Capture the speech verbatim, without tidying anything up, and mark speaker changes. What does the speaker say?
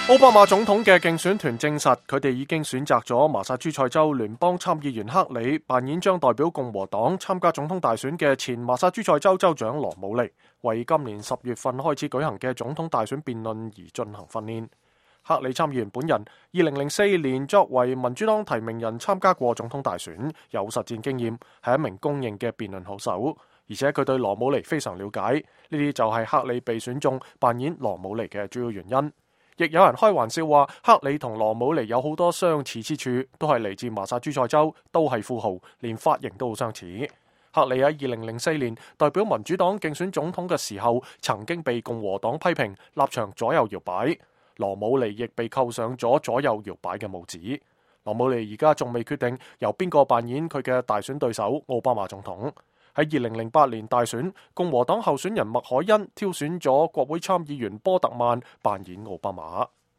Speaker 1: 奧巴馬總統嘅競選團證實，佢哋已經選擇咗麻薩諸塞州聯邦參議員克里扮演將代表共和黨參加總統大選嘅前麻薩諸塞州州長羅姆尼，為今年十月份開始舉行嘅總統大選辯論而進行訓練。克里參議員本人二零零四年作為民主黨提名人參加過總統大選，有實戰經驗，係一名公認嘅辯論好手，而且佢對羅姆尼非常了解。呢啲就係克里被選中扮演羅姆尼嘅主要原因。亦有人開玩笑話，克里同羅姆尼有好多相似之處，都係嚟自麻薩諸塞州，都係富豪，連髮型都好相似。克里喺二零零四年代表民主黨競選總統嘅時候，曾經被共和黨批評立場左右搖擺，羅姆尼亦被扣上咗左右搖擺嘅帽子。羅姆尼而家仲未決定由邊個扮演佢嘅大選對手奧巴馬總統。喺二零零八年大選，共和黨候選人麥凱恩挑選咗國會參議員波特曼扮演奧巴馬。